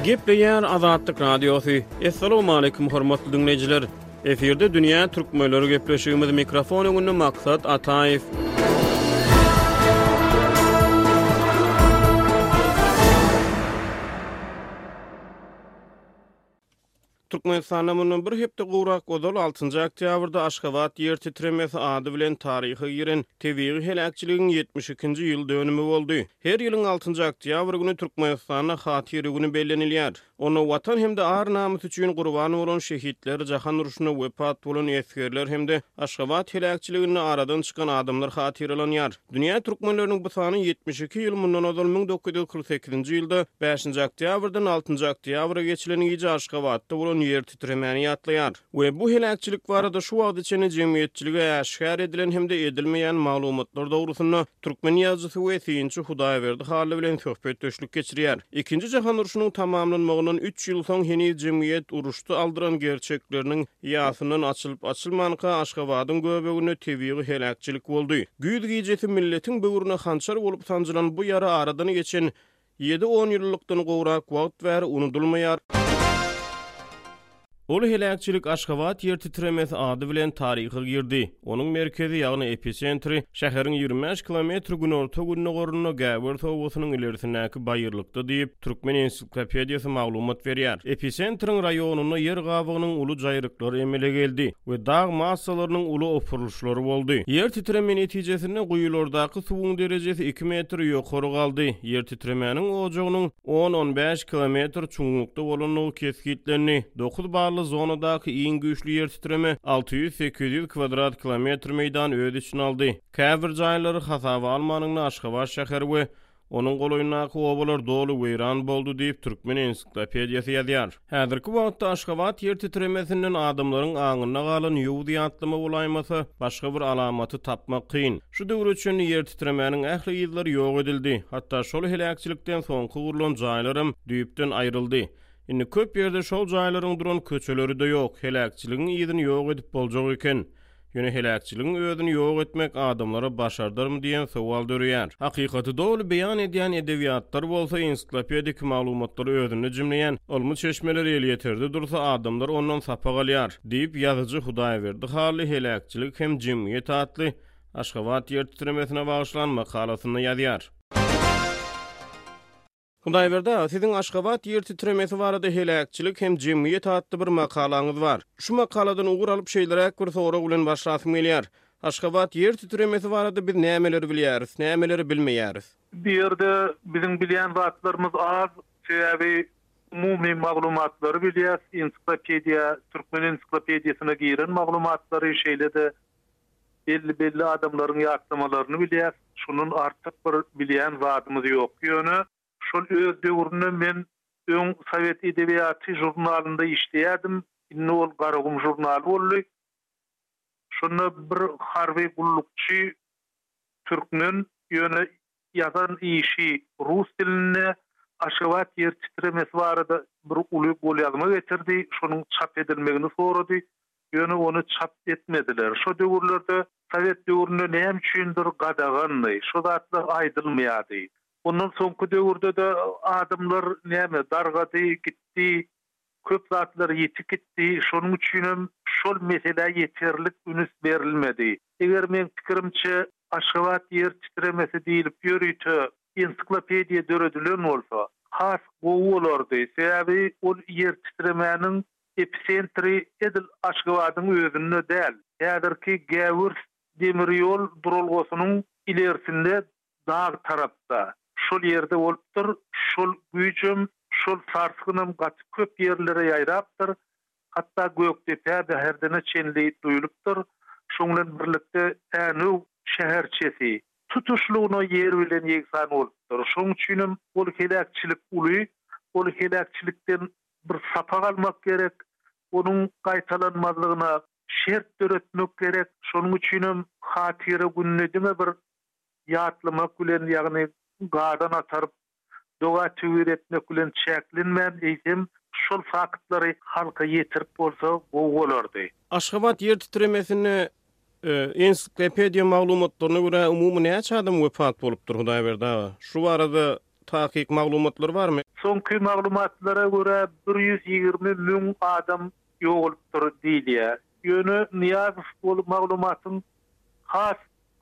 Gepleýär Azatlyk Radiosy. Assalamualaikum hormatly diňleýjiler. Efirde dünýä türkmenleri gepleşigimiz mikrofon öňünde Maksat Ataýew. Türkmenistanda mundan bir hepde gowrak ozal, altynjy oktýabrda Aşgabat ýer titremesi ady bilen taryha giren tebigy heläkçiligiň 72-nji ýyl dönümi boldy. Her ýylyň altynjy oktýabr güni Türkmenistanda Hatyra güni bellenilýär. Onda Watan hem-de ar-namys üçin gurban bolan şehitler, jahan urşunda wepat bolan esgerler hem-de Aşgabat heläkçiliginde aradan çykan adamlar hatyralanýar. Dünýä türkmenleriniň bu sany 72 ýyl mundan ozal 1948-nji ýylda bäşinji oktýabrdan altynjy oktýabra geçilen gije Aşgabatda bolan ýer titremäni ýatlaýar we bu heläkçilik barada şu wagta çenli jemgyýetçilige äşgär edilen hem-de edilmeýän maglumatlar dogrusynda türkmen ýazyjysy we synçy Hudaýberdi Hally bilen söhbetdeşlik geçirýär. Ikinji jahan urşunyň tamamlanmagyndan üç ýyl soň heniz jemgyýet uruşda aldyran gerçekleriniň Ýasyndan açylyp-açylmanka Aşgabadyň göbeginde tebigy heläkçilik boldy. Güýz gijesi milletiň böwrüne hançar bolup sanjylan bu ýara aradan geçen ýedi onýyllykdan gowrak wagt bäri unudylmaýar. Ol heläkçilik Aşgabat ýer titremesi ady bilen taryha girdi. Onuň merkezi, ýagny episentri, şäheriň 25 kilometr günorta-gündogarynda Gäwers obasynyň ilerisindäki baýyrlykda diýip, Türkmen ensiklopediýasy maglumat berýär. Episentriň raýonynda ýer gabygynyň uly jaýryklary emele geldi we dag massalarynyň uly opurylyşlary boldy. Ýer titreme netijesinde guýulardaky suwuň derejesi iki metr ýokary galdy. Ýer titremäniň ojagynyň on-on bäş kilometr çuňlukda bolandygy kesgitlendi. Dokuz bally zonadaky iň güýçli ýer titreme 600-800 kwadrat kilometr meýdany öz içine aldy. Käbir jaýlary hasaba almanyňda Aşgabat şäheri we Onuň golaýyndaky obalar doly weýran boldy diýip, Türkmen ensiklopediýasy ýazýar. Häzirki wagtda Aşgabat ýer titremesinden adamlaryň aňynda galan ýowuz ýatlama bolaýmasa, başga bir alamaty tapmak kyn. Şu döwre çenli ýer titremäniň ähli yzlary ýok edildi. Hatda şol heläkçilikden soňky gurlan jaýlaram düýpden aýryldy. Indi köp ýerde şol jaýlaryň duran köçeleri-de ýok. Heläkçiligiň yzyny ýok edip boljak eken. Ýöne heläkçiligiň özüni ýok etmek adamlara başardarmy diýen sowal döreýär. Hakykaty doly beýan edýän edebiýatlar bolsa ensiklopedik maglumatlary özünde jemleýän ylmy çeşmeler elýeterde dursa adamlar ondan sapak alýar, diýip, ýazyjy Hudaýberdi Hally Heläkçilik hem jemgyýet atly Aşgabat ýer titremesine bagyşlan makalasynda ýazýar. Hudaýberdi aga, siziň Aşgabat ýer titremesi barada Heläkçilik hem jemgyýet atly bir makalaňyz bar. Şu makaladan ugur alyp şeýleräk bir sorag bilen başlasym gelýär. Aşgabat ýer titremesi barada biz nämeleri bilýäris, nämeleri bilmeýäris? Bu ýerde biziň bilýän zatlarymyz az, sebäbi umumy maglumatlary bilýäs, ensiklopediýa, türkmen ensiklopediýasyna giren maglumatlary, şeýle-de Belli-belli adamlaryň ýatlamalaryny bilýäs, şondan artyk bir bilýän zadymyz ýok. Ýöne şol öz döwründe men öň Sowet edebiýaty žurnalynda işleýärdim, indi ol Garagum žurnaly boldy. Şonda bir harby gullukçy türkmen, ýöne ýazan işi rus dilinde Aşgabat ýer titremesi barada bir uly golýazma getirdi, şonuň çap edilmegini sorady. Ýöne ony çap etmediler. Şo döwürlerde, sowet döwründe näme üçindir gadagandy. Şo zatlar aýdylmaýardy. Ondan soňky döwürde-de adamlar näme, dargady, gitdi, köp zatlar ýitip gitdi. Şonuň üçinem şol meselä ýeterlik ünüs berilmedi. Eger meň pikirimçe, Aşgabat ýer titremesi diýlip ýörite ensiklopediýa döredilen bolsa, has gowy bolardy. Sebäbi ol ýer titremäniň Episentri edil Aşgabadyň özünde däl, häzirki Gäwürs demir ýol duralgasynyň ilersinde dag tarapda, şol ýerde bolupdyr, şol güýjem, şol sarsgynam gaty köp ýerlere ýaýrapdyr, hatda Gökdepä, Bäherdene çenli duýulypdyr, şoň bilen birlikde Änew şäherçesi tutuşlygyna ýer bilen ýegsan bolupdyr. Şoň üçinem ol heläkçilik uly, ol heläkçilikden bir sapak almak gerek, onuň gaýtalanmazlygyna şert döretmek gerek. Şonuň üçinem Hatyra gününi diňe bir ýatlamak bilen, ýagny gazan ataryp, doga-töwir etmek bilen çäklenmän, eýsem, şol faktlary halka ýetirip bolsa gowy bolardy. Aşgabat ýer titremesinde ensiklopediýa maglumatlaryna görä umumy näçe adam wepat bolupdyr Hudaýberdi aga? Şu barada. takyk maglumatlar barmy? Soňky maglumatlara görä, 120 müň adam ýogalypdyr diýilýär. Ýöne Nyýazow ol maglumatyň has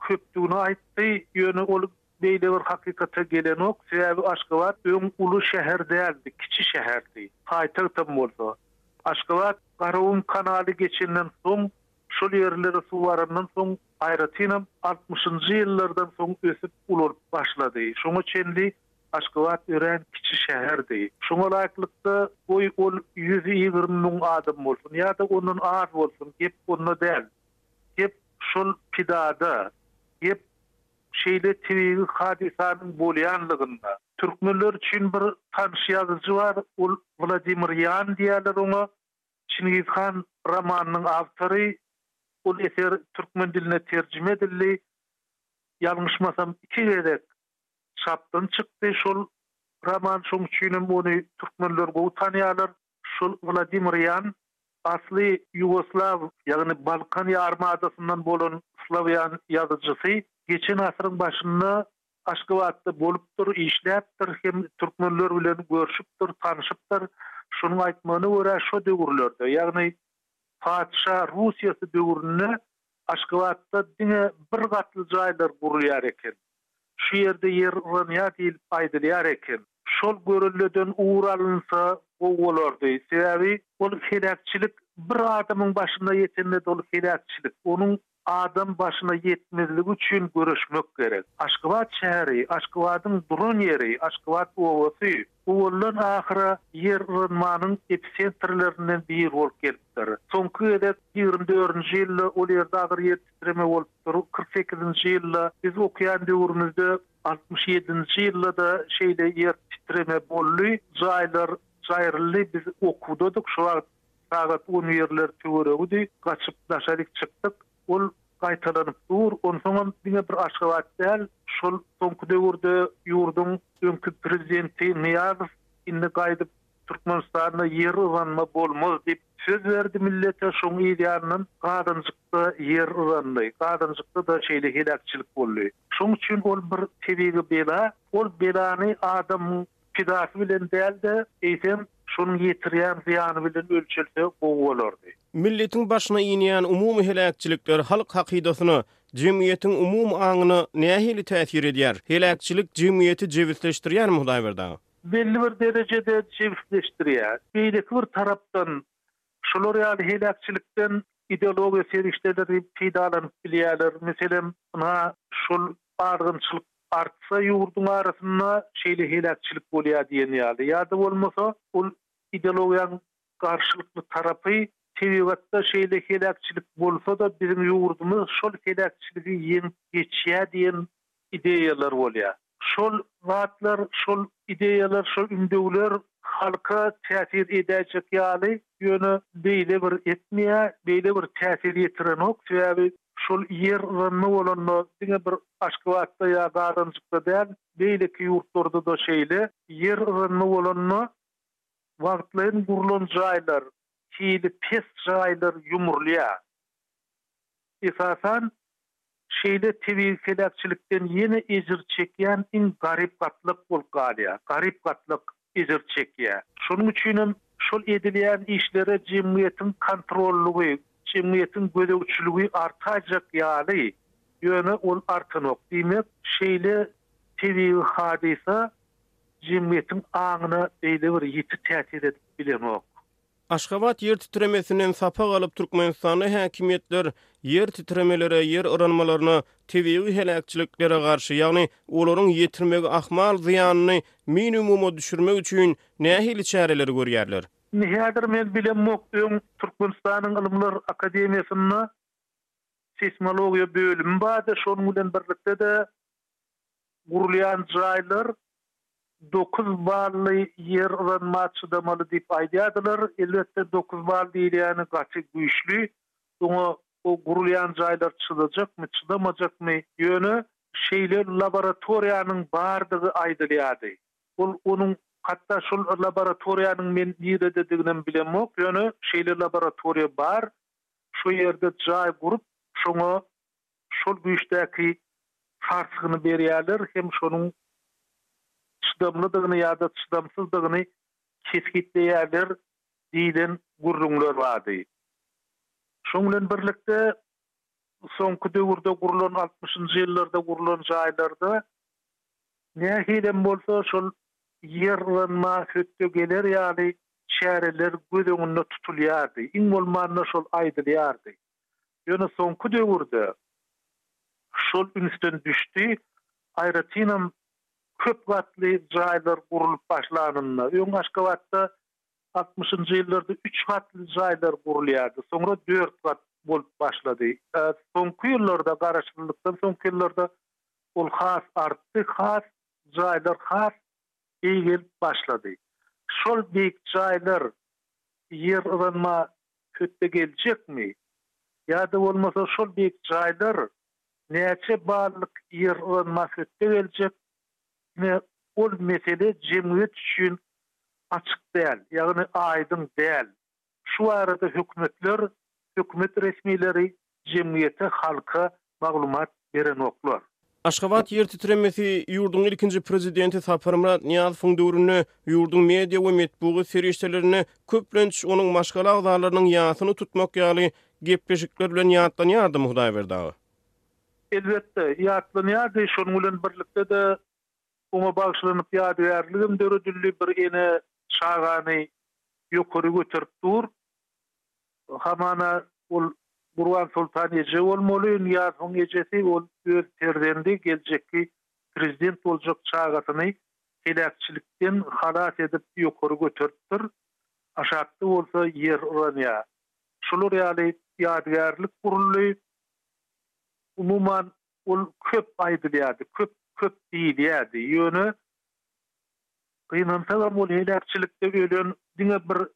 köpdügini aýtdy, ýöne ol beýle bir hakykata gelenok, sebäbi Aşgabat öň uly şäher däldi, kiçi şäherdi, paýtagtam bolsa. Aşgabat Garagum kanaly geçenden soň, şol ýerlere suw barandan soň, aýratynam altmyşynjy ýyllardan soň ösüp ulalyp başlady. Şoňa çenli Aşgabat örän kiçi şäherdi. Şoňa laýyklykda, goý ol 120 müň adam bolsun ýa-da ondan az bolsun, gep onda däl. Gep şol pidada, gep şeýle tebigy hadysanyň bolýanlygynda. Türkmenler üçin bir tanyş ýazyjy bar, ol Wladimir Ýan diýýärler oňa. Çingiz han romanynyň awtory. Ol eser türkmen diline terjime edildi. Ýalňyşmasam iki gezek çapdan çykdy şol roman, şoň üçinem ony türkmenler gowy tanýarlar. Şol Wladimir Ýan asly ýugoslaw, ýagny Balkan ýarym adasyndan bolan slawýan ýazyjysy geçen asyryň başynda Aşgabatda bolupdyr, işläpdir hem türkmenler bilen görşüpdir, tanşypdyr. Şonuň aýtmagyna görä, şo döwürlerde, ýagny patyşa Russiýasy döwründe Aşgabatda diňe bir gatly jaýlar gurulýar eken. Şu ýerde ýer yranýar diýlip aýdylýar eken. Şol görelleden ugur alynsa gowy bolardy. Sebäbi ol heläkçilik bir adamyň başyna ýetende-de ol heläkçilik. Onuň adam başyna ýetmezligi üçin göreşmek gerek. Aşgabat şäheri, Aşgabadyň duran ýeri, Aşgabat obasy owaldan ahyra ýer yranmanyň episentrlerinden biri bolup gelipdir. Soňky gezek 24-nji ýylda ol ýerde agyr ýer titreme bolupdyr. 48-nji ýylda biz okaýan döwrümizde 67-nji ýylda-da şeýle ýer titreme boldy. Jaýlar jaýryldy. Biz okuwdadyk şo wagt sagat on birler töweregidi. Gaçyp daşaryk çykdyk. Ol gaýtalanyp dur. Onsoňam diňe bir Aşgabat däl, şol soňky döwürde ýurduň öňki prezidenti Nyýazow indi gaýdyp Türkmenistanda ýer yranma bolmaz diýip söz berdi millete, şoň yz ýanyndan Gazanjykda ýer yrandy. Gazanjykda-da şeýle heläkçilik boldy. Şoň üçin ol bir tebigy bela. Ol belany adamyň pidasy bilen däl-de, eýsem, şonuň ýetirýän zyýany bilen ölçelse gowy bolardy. Milletiň başyna inýän umumy heläkçilikler halk hakydasyna, jemgyýetiň umumy aňyna nähili täsir edýär? Heläkçilik jemgyýeti jebisleşdirýärmi, Hudaýberdi aga? Belli bir derejede jebisleşdirýär. Beýleki bir tarapdan, şular ýaly heläkçilikden ideologiýa serişdeleri peýdalanyp bilýärler. Meselem, ynha, şol azgynçylyk artsa ýurduň arasynda şeýle heläkçilik bolýar diýen ýaly. Ýa-da bolmasa, ol ideologiýanyň garşylykly tarapy tebigatda şeýle heläkçilik bolsa-da biziň ýurdumyz şol heläkçiligi ýeňip geçýär diýen ideýalar bolýar. Şol zatlar, şol ideýalar, şol ündewler halka täsir edäýjek ýaly, ýöne beýle bir etmeýär, beýle bir täsir ýetirenok. Sebäbi şol ýer yranma bolanda diňe bir Aşgabatda ýa Gazanjykda däl, beýleki ýurtlarda-da şeýle, ýer yranma bolanda wagtlaýyn gurlan jaýlar, hili pes jaýlar ýumrulýar. Esasan, şeýle tebigy heläkçilikden ýene ejir çekýän iň garyp gatlak bolup galýar. Garyp gatlak ejir çekýär. Şonuň üçinem şol edilýän işlere jemgyýetiň kontrollygy, jemgyýetiň gözegçiligi artaýjak ýaly, ýöne ol artanok. Diýmek, şeýle tebigy hadysa jemgyýetiň aňyna beýle bir ýiti täsir edip bilenok. Aşgabat ýer titremesinden sapak alyp, Türkmenistanda häkimiýetler ýer titremelere, ýer yranmalaryna, tebigy heläkçiliklere garşy, ýagny olaryň ýetirmegi ahmal zyýanyny minimuma düşürmek üçin nähili çäreleri görýärler? Indi häzir men bilemok, öň Türkmenistanyň Ylymlar akademiýasynda seýsmologiýa bölümi bardy, şonuň bilen birlikde-de gurulýan jaýlar dokuz bally ýer yranma çydamaly diýip aýdýardylar. Elbetde, dokuz bal diýilýäni gaty güýçli. Oňa o gurulýan jaýlar çydajakmy, çydamajakmy? Ýöne şeýle laboratoriýanyň bardygy aýdylýardy. Ol onuň hatda şol laboratoriýanyň men niredediginem bilemok, ýöne şeýle laboratoriýa bar. Şo ýerde jaý gurup, şoňa şol güýçdäki sarsgyny berýärler hem şonuň. çydamlydygyny ýa-da çydamsyzdygyny kesgitleýärler diýlen gürrüňler bardy. Şoň bilen birlikde, soňky döwürde gurlan, altmyşynjy ýyllarda gurlan jaýlarda nähilem bolsa şol ýer yranma hötde geler ýaly çäreler göz öňünde tutulýardy, iň bolmanda şol aýdylýardy. Ýöne soňky döwürde şol ünsden düşdi, aýratynam köp gatly jaýlar gurlup başlanynda. Öň Aşgabatda altmyşynjy ýyllarda üç gatly jaýlar gurulýardy, soňra dört gat bolup başlady. Soňky ýyllarda, garaşsyzlykdan soňky ýyllarda ol has artdy, has jaýlar has beýgelip başlady. Şol beýik jaýlar ýer yranma hötde geljekmi? Ýa-da bolmasa şol beýik jaýlar näçe ballyk ýer yranma hötde geljek? Ine, ol mesele jemgyýet üçin açyk däl, ýagny aýdyň däl. Şu barada hökümetler, hökümet resmileri jemgyýete, halka maglumat berenoklar. Aşgabat ýer titremesi ýurduň ilkinji prezidenti Saparmyrat Nyýazowyň döwründe ýurduň media we metbugat serişdelerinde köplenç onuň maşgala agzalarynyň ýasyny tutmak ýaly gepleşikler bilen ýatlanýardymy Hudaýberdi aga? Elbetde, ýatlanýardy. Şonuň bilen birlikde-de oňa bagyşlanyp ýadygärligem döredildi. Bir ene çagany ýokary göterip dur. Hamana ol Gurbansoltan eje bolmaly, Nyýazowyň ejesi, ol öz perzendi, geljekki prezident boljak çagasyny heläkçilikden halas edip ýokary göteripdir. Aşakda bolsa ýer yranýar. Şular ýaly ýadygärlik guruldy. Umuman, ol köp aýdylýardy, köp, köp diýilýärdi. Ýöne, gynansagam ol heläkçilikde ölen diňe bir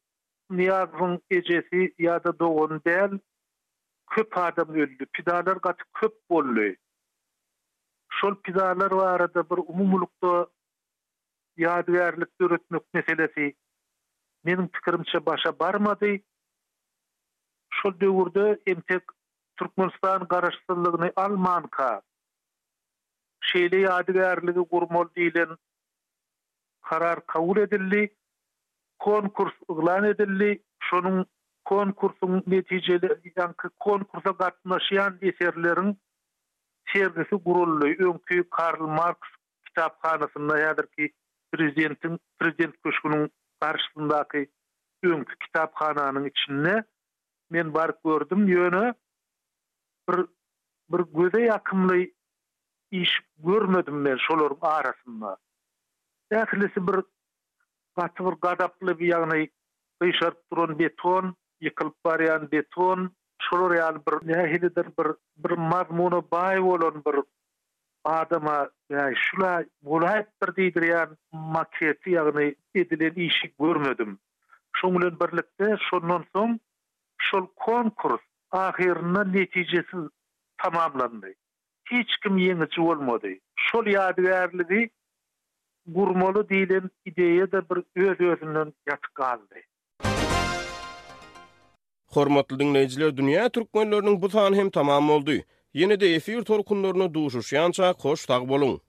Nyýazowyň ejesi ýa-da dogany däl, köp adam öldi. Pidalar gaty köp boldy. Şol pidalar barada bir umumylykda ýadygärlik döretmek meselesi meniň pikirimçe başa barmady. Şol döwürde entek Türkmenistan garaşsyzlygyny almanka şeýle ýadygärligi gurmaly diýlen karar kabul edildi. Konkurs yglan edildi. Şonuň konkursyň netijeli ýaňky konkursa gatnaşýan eserleriň sergisi guraldy. Öňki Karl Marks kitaphanasynda häzirki prezidentiň prezident köşgüniň garşysyndaky öňki kitaphananyň içinde men baryp gördüm. Ýöne bir bir göze ýakymly iş görmedim men şolaryň arasynda. Ählisi bir gaty bir gazaply ýagny gyşaryp duran beton, ýykylyp barýan beton, şolar ýaly bir nähilidir bir bir mazmuna baý bolan bir adama bäý şula bolaýypdyr diýdirýän maketi ýagny edilen işi görmedim. Şoň bilen birlikde şondan soň şol konkurs ahyrynda netijesiz tamamlandy. Hiç kim ýeňiji bolmady. Şol ýadygärligi gurmaly diýlen ideýa-da bir öz-özünden ýatyp galdy. Hormatly diňleýjiler Dünýä Türkmenleriniň bu sany hem tamam boldy. Ýene-de efir tolkunlarynda duşuşýançak hoş sag boluň.